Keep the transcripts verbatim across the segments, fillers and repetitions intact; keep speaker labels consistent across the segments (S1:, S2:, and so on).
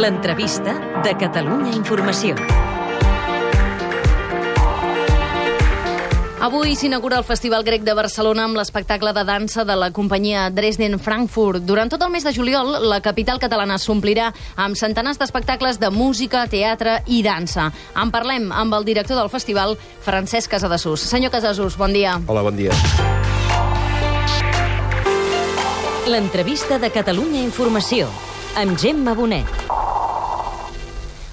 S1: L'entrevista de Catalunya Informació.
S2: Avui s'inaugura el Festival Grec de Barcelona amb l'espectacle de dansa de la companyia Dresden Frankfurt. Durant tot el mes de juliol, la capital catalana s'omplirà amb centenars d'espectacles de música, teatre i dansa. En parlem amb el director del festival, Francesc Casadesús. Senyor Casadesús, bon dia.
S3: Hola, bon dia.
S1: L'entrevista de Catalunya Informació, amb Gemma Bonet.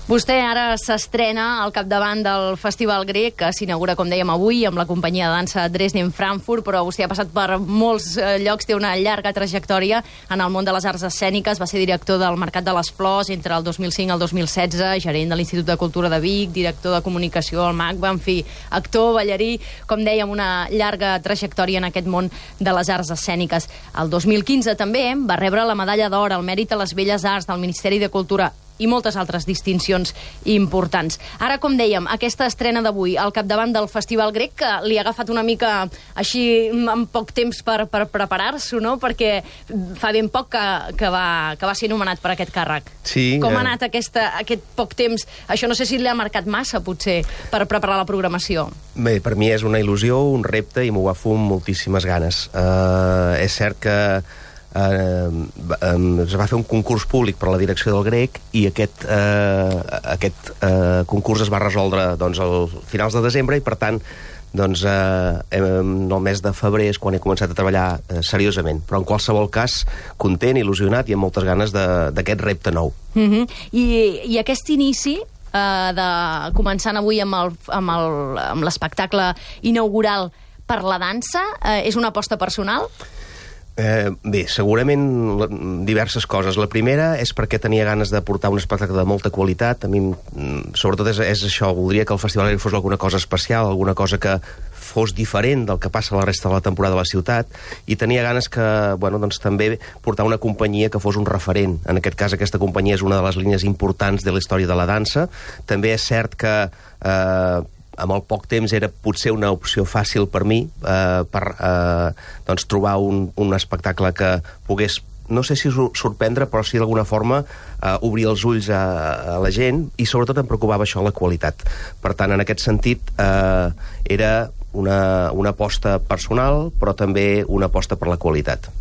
S2: Vostè ara s'estrena al capdavant del Festival Grec, que s'inaugura, com dèiem, avui, amb la companyia de dansa Dresden Frankfurt, però vostè ha passat per molts llocs, té una llarga trajectòria en el món de les arts escèniques, va ser director del Mercat de les Flors entre el dos mil cinc i el dos mil setze, gerent de l'Institut de Cultura de Vic, director de comunicació al MACBA, en fi, actor, ballarí, com dèiem, una llarga trajectòria en aquest món de les arts escèniques. El dos mil quinze també va rebre la medalla d'or al mèrit a les belles arts del Ministeri de Cultura i moltes altres distincions importants. Ara, com dèiem, aquesta estrena d'avui al capdavant del Festival Grec, que li ha agafat una mica així en poc temps per, per preparar-s'ho, no? Perquè fa ben poc que, que, va, que va ser nomenat per aquest càrrec.
S3: Sí.
S2: Com ha
S3: eh...
S2: anat aquesta, aquest poc temps? Això no sé si li ha marcat massa, potser, per preparar la programació.
S3: Bé, per mi és una il·lusió, un repte, i m'ho agafo amb moltíssimes ganes. Uh, és cert que Uh, es va fer un concurs públic per a la direcció del Grec i aquest, uh, aquest uh, concurs es va resoldre doncs, al finals de desembre i, per tant, doncs, uh, en el mes de febrer és quan he començat a treballar uh, seriosament. Però, en qualsevol cas, content, il·lusionat i amb moltes ganes d'aquest repte nou.
S2: Mm-hmm. I, i aquest inici uh, de començant avui amb el, amb el, amb l'espectacle inaugural per la dansa, uh, és una aposta personal?
S3: Eh, bé, segurament diverses coses. La primera és perquè tenia ganes de portar un espectacle de molta qualitat. A mi, sobretot, és, és això. Voldria que el Festival fos alguna cosa especial, alguna cosa que fos diferent del que passa a la resta de la temporada a la ciutat, i tenia ganes que, bueno, doncs també portar una companyia que fos un referent. En aquest cas, aquesta companyia és una de les línies importants de la història de la dansa. També és cert que eh, amb el poc temps era potser una opció fàcil per mi eh, per eh, doncs trobar un, un espectacle que pogués, no sé si sorprendre, però sí d'alguna forma eh, obrir els ulls a, a la gent, i sobretot em preocupava això, la qualitat. Per tant, en aquest sentit, eh, era una, una aposta personal, però també una aposta per la qualitat.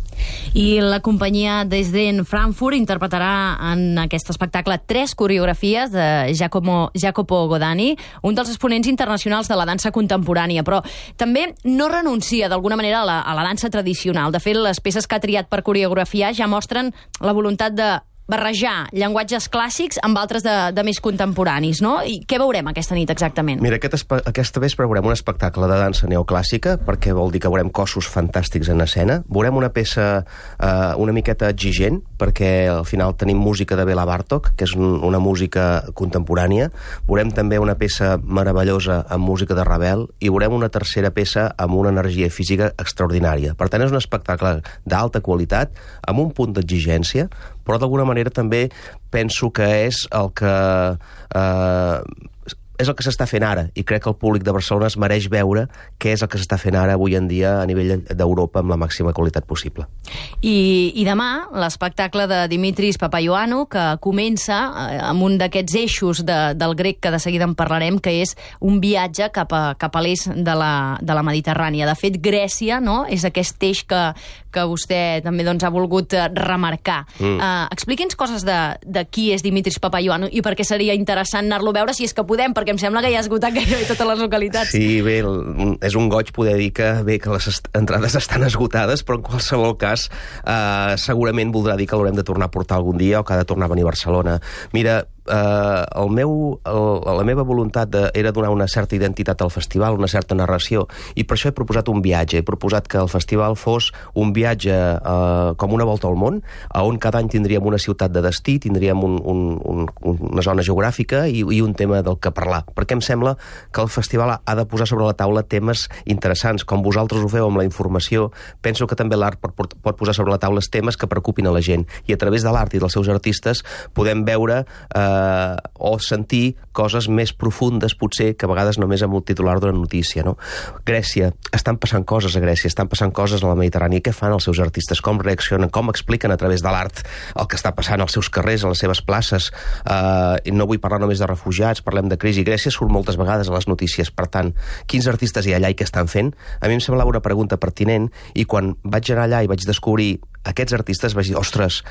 S2: I la companyia Dresden Frankfurt interpretarà en aquest espectacle tres coreografies de Giacomo, Jacopo Godani, un dels exponents internacionals de la dansa contemporània, però també no renuncia d'alguna manera a la, a la dansa tradicional. De fet, les peces que ha triat per coreografiar ja mostren la voluntat de barrejar llenguatges clàssics amb altres de, de més contemporanis, no? I què veurem aquesta nit exactament?
S3: Mira, aquest aquesta vespre veurem un espectacle de dansa neoclàssica, perquè vol dir que veurem cossos fantàstics en escena. Veurem una peça eh, una miqueta exigent, perquè al final tenim música de Bela Bartók, que és un, una música contemporània. Veurem també una peça meravellosa amb música de Ravel, i veurem una tercera peça amb una energia física extraordinària. Per tant, és un espectacle d'alta qualitat, amb un punt d'exigència, però d'alguna manera també penso que és el que eh, és el que s'està fent ara, i crec que el públic de Barcelona es mereix veure què és el que s'està fent ara avui en dia a nivell d'Europa amb la màxima qualitat possible.
S2: I, i demà l'espectacle de Dimitris Papaioannou, que comença amb un d'aquests eixos de, del grec, que de seguida en parlarem, que és un viatge cap a, cap a l'est de la, de la Mediterrània. De fet, Grècia, no?, és aquest eix que, que vostè també doncs, ha volgut remarcar. Mm. Uh, expliqui'ns coses de, de qui és Dimitris Papaioannou i per què seria interessant anar-lo a veure, si és que podem, perquè em sembla que ja ha esgotat gairebé totes les localitats.
S3: Sí, bé, és un goig poder dir que, bé, que les entrades estan esgotades, però en qualsevol cas eh, segurament voldrà dir que l'haurem de tornar a portar algun dia, o que ha de tornar a venir a Barcelona. Mira, eh, el meu, el, la meva voluntat de, era donar una certa identitat al festival, una certa narració, i per això he proposat un viatge. He proposat que el festival fos un viatge eh, com una volta al món, on cada any tindríem una ciutat de destí, tindríem un, un, un, una zona geogràfica i, i un tema del que parlar. Perquè em sembla que el festival ha de posar sobre la taula temes interessants, com vosaltres ho feu amb la informació. Penso que també l'art pot, pot posar sobre la taula temes que preocupin a la gent, i a través de l'art i dels seus artistes podem veure eh, eh, o sentir coses més profundes, potser, que a vegades només amb un titular d'una notícia, no? Grècia, estan passant coses a Grècia, estan passant coses a la Mediterrània. Què fan els seus artistes? Com reaccionen? Com expliquen a través de l'art el que està passant als seus carrers, a les seves places? Eh, no vull parlar només de refugiats, parlem de crisi. Grècia surt moltes vegades a les notícies. Per tant, quins artistes hi ha allà i què estan fent? A mi em semblava una pregunta pertinent, i quan vaig anar allà i vaig descobrir aquests artistes vaig dir, ostres,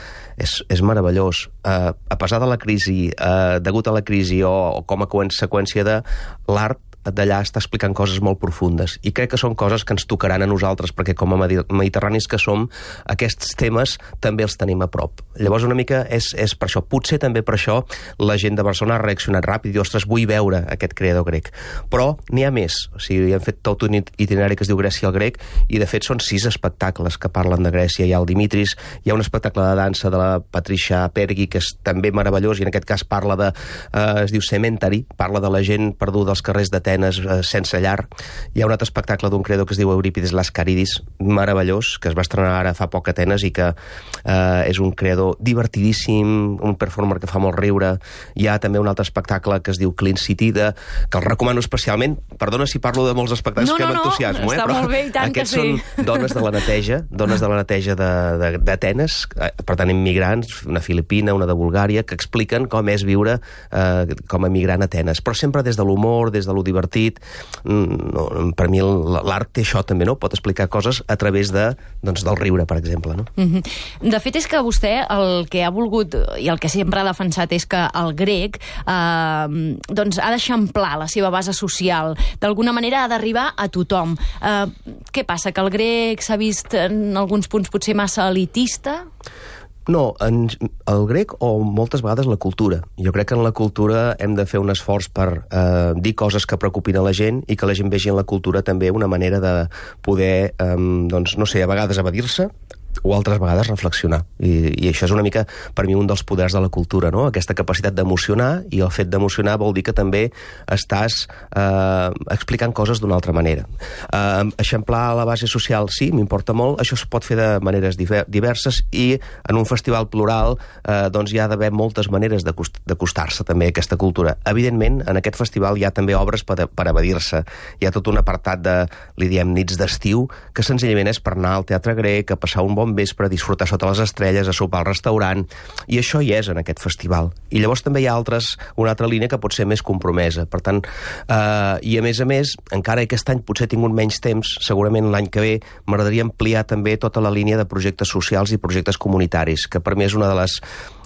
S3: és, és meravellós. Uh, a pesar de la crisi, uh, degut a la crisi o, o com a conseqüència de l'art, d'allà està explicant coses molt profundes, i crec que són coses que ens tocaran a nosaltres, perquè com a mediterranis que som, aquests temes també els tenim a prop. Llavors una mica és, és per això, potser també per això la gent de Barcelona ha reaccionat ràpid i diu, ostres, vull veure aquest creador grec. Però n'hi ha més, o sigui, han fet tot un itinerari que es diu Grècia al grec, i de fet són sis espectacles que parlen de Grècia. Hi ha el Dimitris, hi ha un espectacle de dansa de la Patricia Perghi, que és també meravellós, i en aquest cas parla de, eh, es diu Cementari, parla de la gent perduda als carrers d'Atenes sense llar. Hi ha un altre espectacle d'un creador que es diu Eurípides Lascaridis, meravellós, que es va estrenar ara fa poc a Atenes i que eh, és un creador divertidíssim, un performer que fa molt riure. Hi ha també un altre espectacle que es diu Clean City, de, que el recomano especialment. Perdona si parlo de molts espectacles,
S2: no,
S4: que
S2: no,
S3: m'entusiasmo,
S2: no,
S3: eh?
S2: Està
S3: Però
S2: molt bé, i tant
S3: aquests
S2: que sí.
S3: són dones de la neteja, dones de la neteja d'Atenes, per tant immigrants, una filipina, una de Bulgària, que expliquen com és viure eh, com a migrant a Atenes, però sempre des de l'humor, des de lo divertit. No, per mi l'art té això també, no? Pot explicar coses a través de, doncs, del riure, per exemple, no?
S2: Mm-hmm. De fet, és que vostè el que ha volgut i el que sempre ha defensat és que el grec eh, doncs ha d'eixamplar la seva base social. D'alguna manera ha d'arribar a tothom. Eh, què passa? Que el grec s'ha vist en alguns punts potser massa elitista?
S3: No, en, el grec o moltes vegades la cultura. Jo crec que en la cultura hem de fer un esforç per eh, dir coses que preocupin a la gent i que la gent vegi en la cultura també una manera de poder, eh, doncs, no sé, a vegades evadir-se o altres vegades reflexionar. I, I això és una mica, per mi, un dels poders de la cultura, no? Aquesta capacitat d'emocionar, i el fet d'emocionar vol dir que també estàs eh, explicant coses d'una altra manera. Eh, eixamplar la base social, sí, m'importa molt. Això es pot fer de maneres diverses, i en un festival plural eh, doncs hi ha d'haver moltes maneres d'acostar-se també a aquesta cultura. Evidentment, en aquest festival hi ha també obres per, per evadir-se. Hi ha tot un apartat de, li diem, nits d'estiu, que senzillament és per anar al teatre grec, a passar un bon vespre, a disfrutar sota les estrelles, a sopar al restaurant, i això hi és en aquest festival. I llavors també hi ha altres, una altra línia que pot ser més compromesa. Per tant, eh, i a més a més, encara que aquest any potser he tingut menys temps, segurament l'any que ve m'agradaria ampliar també tota la línia de projectes socials i projectes comunitaris, que per mi és una de les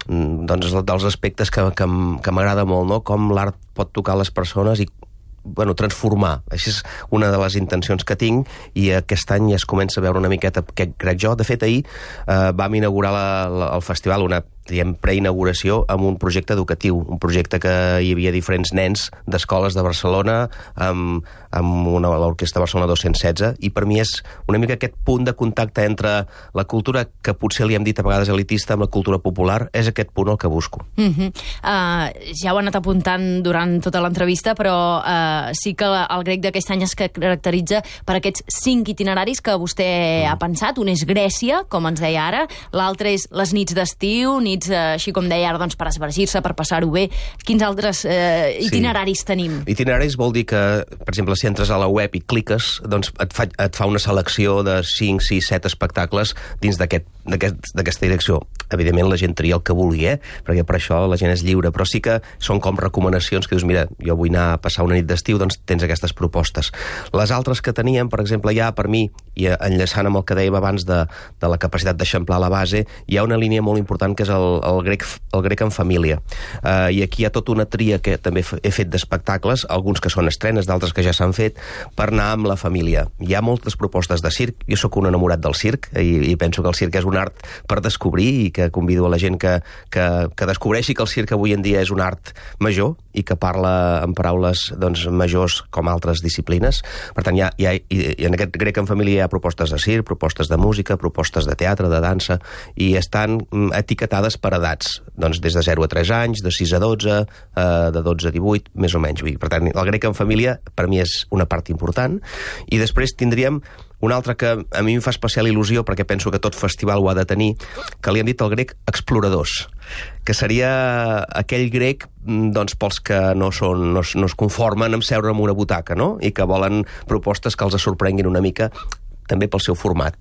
S3: doncs, dels aspectes que, que, que m'agrada molt, no? Com l'art pot tocar les persones i bueno, transformar. Això és una de les intencions que tinc, i aquest any ja es comença a veure una miqueta què crec jo. De fet, ahir eh, vam inaugurar la, la, el festival, una diem, preinauguració, amb un projecte educatiu, un projecte que hi havia diferents nens d'escoles de Barcelona, amb, amb una, l'Orquestra Barcelona dos-cents setze, i per mi és una mica aquest punt de contacte entre la cultura, que potser li hem dit a vegades elitista, amb la cultura popular. És aquest punt el que busco.
S2: Mm-hmm. uh, ja ho he anat apuntant durant tota l'entrevista, però uh, sí que el grec d'aquest any es caracteritza per aquests cinc itineraris que vostè mm. ha pensat. Un és Grècia, com ens deia ara, l'altre és les nits d'estiu, nits, així com deia ara, doncs, per esvergir-se, per passar-ho bé. Quins altres eh, itineraris sí. tenim?
S3: Itineraris vol dir que, per exemple, si entres a la web i cliques, doncs et fa, et fa una selecció de cinc, sis, set espectacles dins d'aquest d'aquesta aquest, direcció. Evidentment la gent tria el que vulgui, eh? Perquè per això la gent és lliure, però sí que són com recomanacions que dius, mira, jo vull anar a passar una nit d'estiu, doncs tens aquestes propostes. Les altres que teníem, per exemple, ja per mi, i enllaçant amb el que dèiem abans de, de la capacitat d'eixamplar la base, hi ha una línia molt important que és el, el, grec, el grec en família. Uh, I aquí hi ha tota una tria que també he fet d'espectacles, alguns que són estrenes, d'altres que ja s'han fet, per anar amb la família. Hi ha moltes propostes de circ, jo sóc un enamorat del circ, i, i penso que el circ és un art per descobrir, i que convido a la gent que, que, que descobreixi que el circ avui en dia és un art major i que parla en paraules doncs, majors com altres disciplines. Per tant, hi ha, hi ha, i en aquest grec en família hi ha propostes de circ, propostes de música, propostes de teatre, de dansa, i estan etiquetades per edats, doncs des de zero a tres anys, de sis a dotze, eh, de dotze a divuit, més o menys. Per tant, el grec en família per mi és una part important, i després tindríem Un altre que a mi em fa especial il·lusió, perquè penso que tot festival ho ha de tenir, que li han dit el grec exploradors, que seria aquell grec doncs, pels que no, són, no, no es conformen amb seure en una butaca, no? I que volen propostes que els sorprenguin una mica, també pel seu format.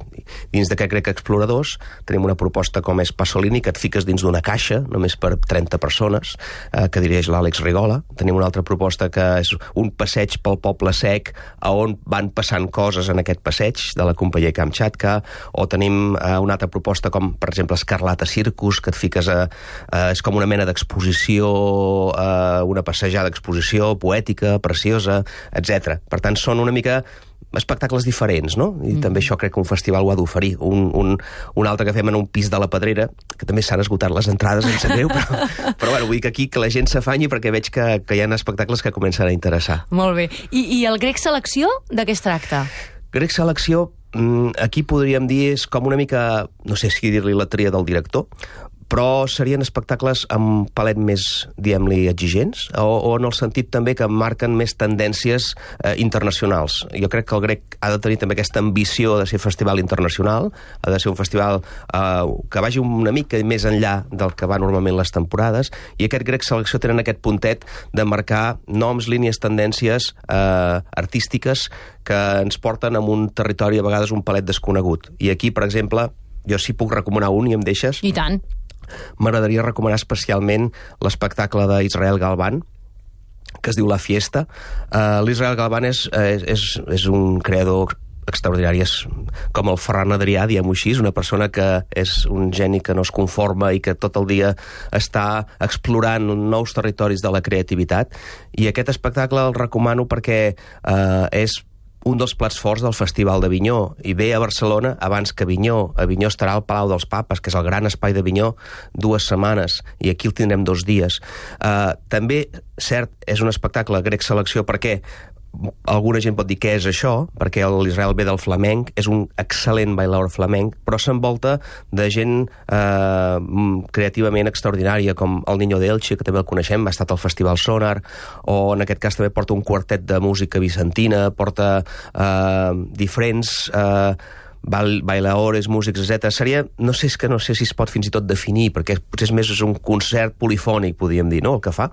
S3: Dins d'aquest grec exploradors tenim una proposta com és Pasolini, que et fiques dins d'una caixa, només per trenta persones, eh, que dirigeix l'Àlex Rigola. Tenim una altra proposta que és un passeig pel poble sec, a on van passant coses en aquest passeig, de la companyia Kamchatka, o tenim eh, una altra proposta com, per exemple, Escarlata Circus, que et fiques a... Eh, és com una mena d'exposició, eh, una passejada d'exposició poètica, preciosa, etcètera. Per tant, són una mica espectacles diferents, no? I mm. també això crec que un festival ho ha d'oferir. Un, un, un altre que fem en un pis de la Pedrera, que també s'han esgotat les entrades, em sap greu, però, però bueno, vull dir que aquí que la gent s'afanyi perquè veig que, que hi ha espectacles que comencen a interessar.
S2: Molt bé. I, i el grec selecció, de què es tracta?
S3: Grec selecció, aquí podríem dir, és com una mica, no sé si dir-li la tria del director, però serien espectacles amb palet més, diguem-li, exigents, o, o en el sentit també que marquen més tendències eh, internacionals. Jo crec que el grec ha de tenir també aquesta ambició de ser festival internacional, ha de ser un festival eh, que vagi una mica més enllà del que va normalment les temporades, i aquest grec selecció tenen aquest puntet de marcar noms, línies, tendències eh, artístiques que ens porten a un territori a vegades un palet desconegut. I aquí, per exemple, jo sí puc recomanar un, i em deixes?
S2: I tant.
S3: M'agradaria recomanar especialment l'espectacle d'Israel Galvan, que es diu La Fiesta. Uh, L'Israel Galvan és, és, és, és un creador extraordinari, és com el Ferran Adrià, diguem-ho així, una persona que és un geni que no es conforma i que tot el dia està explorant nous territoris de la creativitat, i aquest espectacle el recomano perquè uh, és un dels plats forts del Festival d'Avinyó, i ve a Barcelona abans que Avinyó. Avinyó estarà al Palau dels Papes, que és el gran espai d'Avinyó, dues setmanes, i aquí el tindrem dos dies. Uh, també, cert, és un espectacle grec selecció perquè alguna gent pot dir què és això, perquè l'Israel ve del flamenc, és un excel·lent bailaor flamenc, però s'envolta de gent eh, creativament extraordinària, com el Niño de Elche, que també el coneixem, ha estat al Festival Sonar, o en aquest cas també porta un quartet de música vicentina, porta eh, diferents... Eh, bailaores, músics, etcètera. Seria, no sé, és que no sé si es pot fins i tot definir, perquè potser és més és un concert polifònic, podríem dir, no?, el que fa.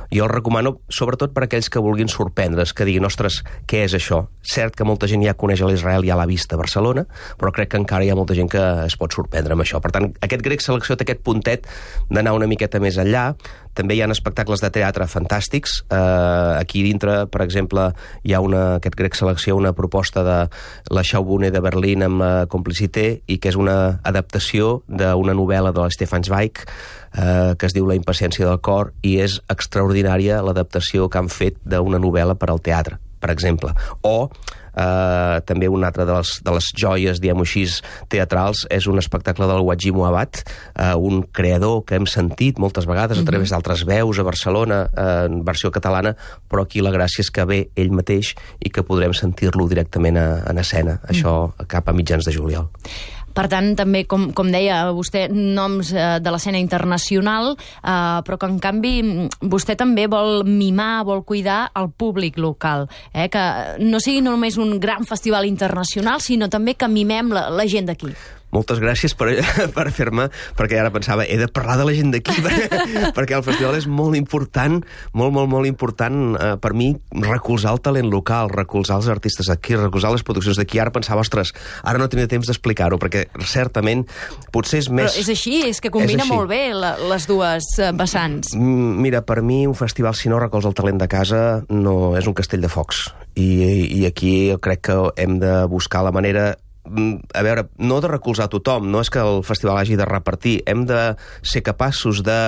S3: Jo el recomano, sobretot per aquells que vulguin sorprendre's, que diguin, ostres, què és això? Cert que molta gent ja coneix l'Israel, ja l'ha vist a Barcelona, però crec que encara hi ha molta gent que es pot sorprendre amb això. Per tant, aquest grec selecció té aquest puntet d'anar una miqueta més enllà. També hi ha espectacles de teatre fantàstics. Uh, aquí dintre, per exemple, hi ha una, aquest grec selecció, una proposta de la Schaubühne de Berlín amb la Complicité, i que és una adaptació d'una novel·la de l'Stefan Zweig, uh, que es diu La impaciència del cor, i és extraordinària l'adaptació que han fet d'una novel·la per al teatre, per exemple. O Uh, també una altra de les, de les joies, diguem-ho així, teatrals, és un espectacle del Wajid Mouawad, uh, un creador que hem sentit moltes vegades a través d'altres veus a Barcelona, uh, en versió catalana, però aquí la gràcia és que ve ell mateix i que podrem sentir-lo directament a, en escena, això cap a mitjans de juliol.
S2: Per tant, també, com, com deia vostè, noms eh, de l'escena internacional, eh, però que, en canvi, vostè també vol mimar, vol cuidar el públic local, eh? Que no sigui només un gran festival internacional, sinó també que mimem la, la gent d'aquí.
S3: Moltes gràcies per, per fer-me, perquè ara pensava, he de parlar de la gent d'aquí, perquè el festival és molt important, molt, molt, molt important eh, per mi, recolzar el talent local, recolzar els artistes d'aquí, recolzar les produccions d'aquí. Ara pensava, ostres, ara no tenia temps d'explicar-ho, perquè certament potser és més...
S2: Però és així, és que combina és molt bé la, les dues vessants.
S3: Mira, per mi un festival, si no recolza el talent de casa, no és un castell de focs. I, i aquí jo crec que hem de buscar la manera... a veure, no de recolzar tothom, no és que el festival hagi de repartir, hem de ser capaços de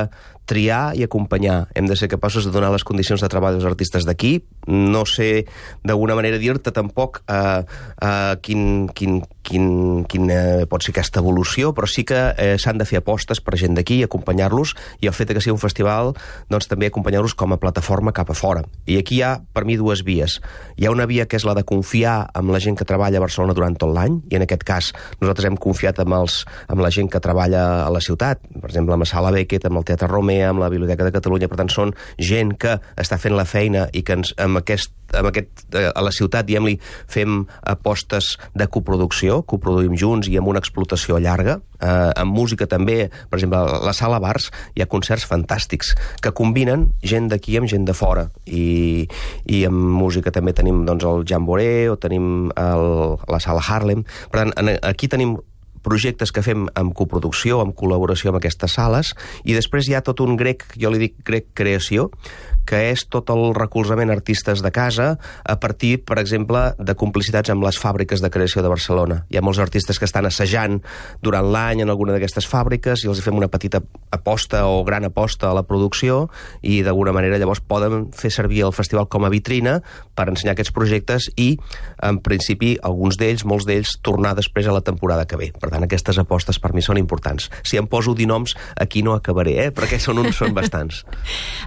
S3: triar i acompanyar, hem de ser capaços de donar les condicions de treball als artistes d'aquí, no sé d'alguna manera dir-te tampoc eh, eh, quin, quin, quin, quin eh, pot ser aquesta evolució, però sí que eh, s'han de fer apostes per gent d'aquí, acompanyar-los, i el fet que sigui un festival, doncs també acompanyar-los com a plataforma cap a fora. I aquí hi ha, per mi, dues vies. Hi ha una via que és la de confiar en la gent que treballa a Barcelona durant tot l'any, i en aquest cas nosaltres hem confiat amb, els, amb la gent que treballa a la ciutat, per exemple, amb la Sala Beckett, amb el Teatre Romea, amb la Biblioteca de Catalunya. Per tant, són gent que està fent la feina i que ens, amb aquest amb aquest, a la ciutat, diguem-li, fem apostes de coproducció, coproduïm junts i amb una explotació llarga. Eh, amb música també, per exemple, a la Sala Bars hi ha concerts fantàstics que combinen gent d'aquí amb gent de fora. I, i amb música també tenim doncs, el Jamboree o tenim el, la Sala Harlem. Per tant, aquí tenim projectes que fem amb coproducció, amb col·laboració amb aquestes sales, i després hi ha tot un grec, jo li dic grec creació, que és tot el recolzament a artistes de casa a partir, per exemple, de complicitats amb les fàbriques de creació de Barcelona. Hi ha molts artistes que estan assajant durant l'any en alguna d'aquestes fàbriques i els fem una petita aposta o gran aposta a la producció i d'alguna manera llavors poden fer servir el festival com a vitrina per ensenyar aquests projectes i, en principi, alguns d'ells, molts d'ells, tornar després a la temporada que ve. Per tant, aquestes apostes per mi són importants. Si em poso dir noms, aquí no acabaré, eh? Perquè són uns, són bastants.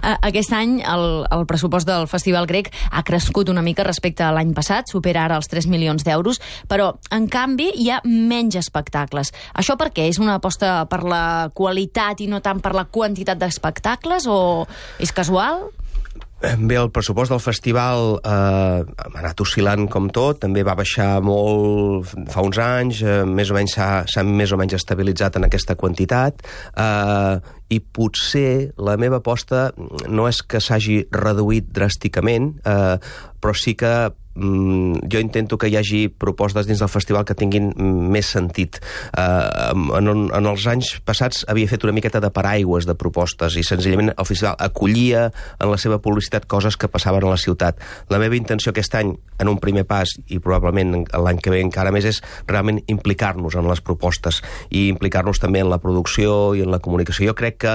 S2: Aquest any el, el pressupost del Festival Grec ha crescut una mica respecte a l'any passat, supera ara els tres milions d'euros, però, en canvi, hi ha menys espectacles. Això per què? És una aposta per la qualitat i no tant per la quantitat d'espectacles, o és casual?
S3: Bé, el pressupost del festival eh, ha anat oscil·lant com tot, també va baixar molt fa uns anys, eh, més o menys s'ha més o menys estabilitzat en aquesta quantitat, eh, i potser la meva aposta no és que s'hagi reduït dràsticament, eh, però sí que jo intento que hi hagi propostes dins del festival que tinguin més sentit. Uh, en, en els anys passats havia fet una miqueta de paraigües de propostes i senzillament el festival acollia en la seva publicitat coses que passaven a la ciutat. La meva intenció aquest any, en un primer pas, i probablement l'any que ve encara més, és realment implicar-nos en les propostes i implicar-nos també en la producció i en la comunicació. Jo crec que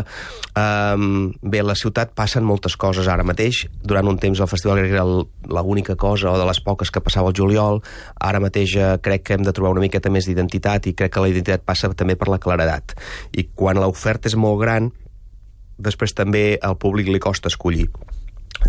S3: um, bé, a la ciutat passen moltes coses ara mateix. Durant un temps el Festival Grec era l'única cosa o de les poques que passava al juliol. Ara mateix eh, crec que hem de trobar una miqueta més d'identitat i crec que la identitat passa també per la claredat. I quan l'oferta és molt gran, després també al públic li costa escollir.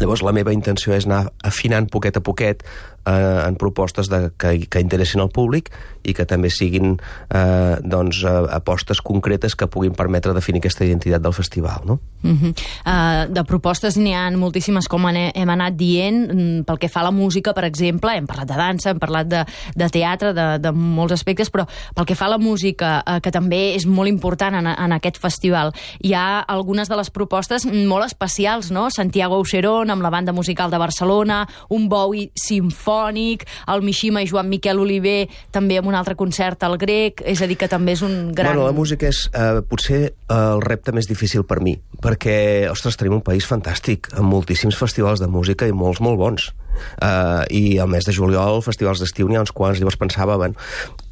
S3: Llavors la meva intenció és anar afinant poquet a poquet eh, en propostes de, que, que interessin al públic i que també siguin eh, doncs, eh, apostes concretes que puguin permetre definir aquesta identitat del festival, no?
S2: Uh-huh. uh, de propostes n'hi ha moltíssimes, com hem anat dient. Pel que fa a la música, per exemple, hem parlat de dansa, hem parlat de, de teatre, de, de molts aspectes, però pel que fa a la música, uh, que també és molt important en, en aquest festival, hi ha algunes de les propostes molt especials, no? Santiago Auxerón amb la banda musical de Barcelona, un Bowie simfònic, el Mishima i Joan Miquel Oliver també amb un altre concert al Grec, és a dir, que també és un gran...
S3: Bueno, la música és eh, potser eh, el repte més difícil per mi, perquè, ostres, tenim un país fantàstic, amb moltíssims festivals de música i molts, molt bons. Uh, i al mes de juliol, festivals d'estiu, n'hi ha uns quants. Llavors pensava, bueno,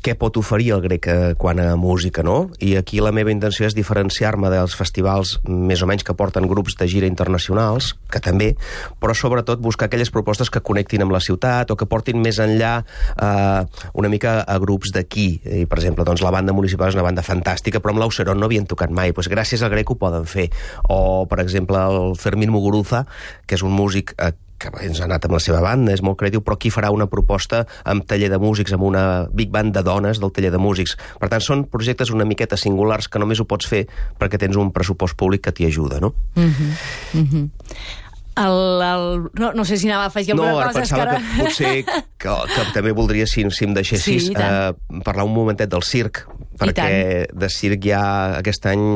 S3: què pot oferir el Grec eh, quan a música, no? I aquí la meva intenció és diferenciar-me dels festivals més o menys que porten grups de gira internacionals, que també, però sobretot buscar aquelles propostes que connectin amb la ciutat o que portin més enllà eh, una mica a grups d'aquí. I, per exemple, doncs, la banda municipal és una banda fantàstica, però amb l'Auxerón no havien tocat mai. Pues, gràcies al Grec ho poden fer. O, per exemple, el Fermín Muguruza, que és un músic eh, que ens ha anat amb la seva banda, és molt creatiu, però aquí farà una proposta amb taller de músics, amb una big band de dones del taller de músics. Per tant, són projectes una miqueta singulars que només ho pots fer perquè tens un pressupost públic que t'hi ajuda, no?
S2: Mhm, mhm. El, el, no, no sé si anava a afegir alguna
S3: no,
S2: cosa.
S3: No, pensava que, que potser que, que també voldria, si, si em deixessis, sí, eh, parlar un momentet del circ, perquè de circ hi ha aquest any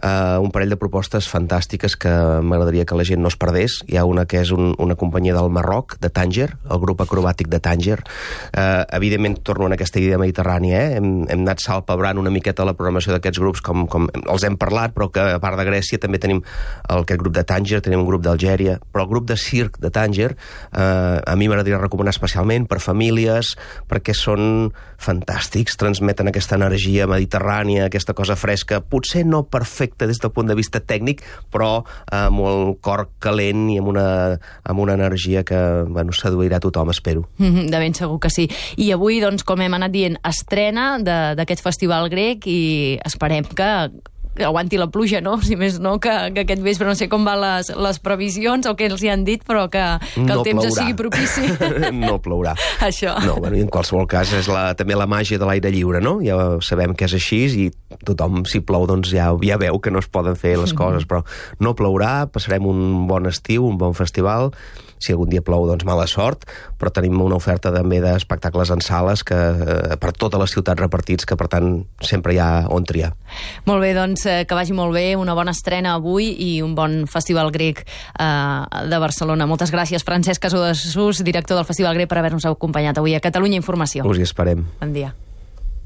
S3: Uh, un parell de propostes fantàstiques que m'agradaria que la gent no es perdés. Hi ha una que és un, una companyia del Marroc, de Tànger, el grup acrobàtic de Tànger. Uh, evidentment, torno en aquesta idea mediterrània, eh? hem, hem anat salpebrant una miqueta la programació d'aquests grups, com, com els hem parlat, però que a part de Grècia també tenim el, aquest grup de Tànger, tenim un grup d'Algèria, però el grup de circ de Tànger uh, a mi m'agradaria recomanar especialment per famílies, perquè són fantàstics, transmeten aquesta energia mediterrània, aquesta cosa fresca, potser no perfecta des del punt de vista tècnic, però amb el cor calent i amb una, amb una energia que, bueno, seduirà tothom, espero.
S2: Mm-hmm, de ben segur que sí. I avui, doncs, com hem anat dient, estrena d'aquest Festival Grec i esperem que que aguanti la pluja, no? Si més no, que, que aquest vespre no sé com van les, les previsions o què els hi han dit, però que, que el
S3: No
S2: temps
S3: plourà.
S2: sigui propici.
S3: No plourà.
S2: Això.
S3: No, bueno, i en qualsevol cas és la, també la màgia de l'aire lliure, no? Ja sabem que és així i tothom, si plou, doncs ja, ja veu que no es poden fer les coses, però no plourà, passarem un bon estiu, un bon festival. Si algun dia plou, doncs mala sort, però tenim una oferta també d'espectacles en sales que, eh, per totes les ciutats repartits, que per tant sempre hi ha on triar.
S2: Molt bé, doncs eh, que vagi molt bé, una bona estrena avui i un bon Festival Grec eh, de Barcelona. Moltes gràcies, Francesc Casadesús, director del Festival Grec, per haver-nos acompanyat avui a Catalunya Informació.
S3: Us hi esperem.
S2: Bon dia.